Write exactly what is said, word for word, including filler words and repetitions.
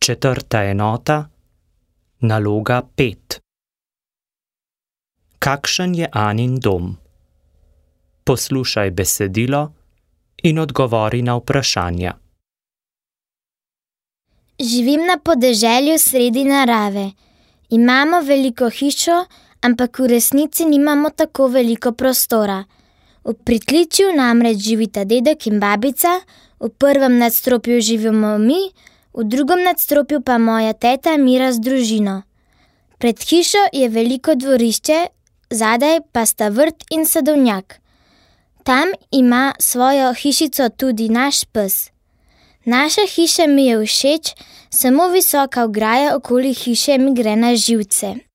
Četrta enota, naloga pet. Kakšen je Anin dom? Poslušaj besedilo in odgovori na vprašanja. Živim na podeželju sredi narave. Imamo veliko hišo, ampak v resnici nimamo tako veliko prostora. V pritličju namreč živita dedek in babica, v prvem nadstropju živimo mi, v drugem nadstropju pa moja teta Mira z družino. Pred hišo je veliko dvorišče, zadaj pa sta vrt in sadovnjak. Tam ima svojo hišico tudi naš pes. Naša hiša mi je všeč, samo visoka ograja okoli hiše mi gre na živce.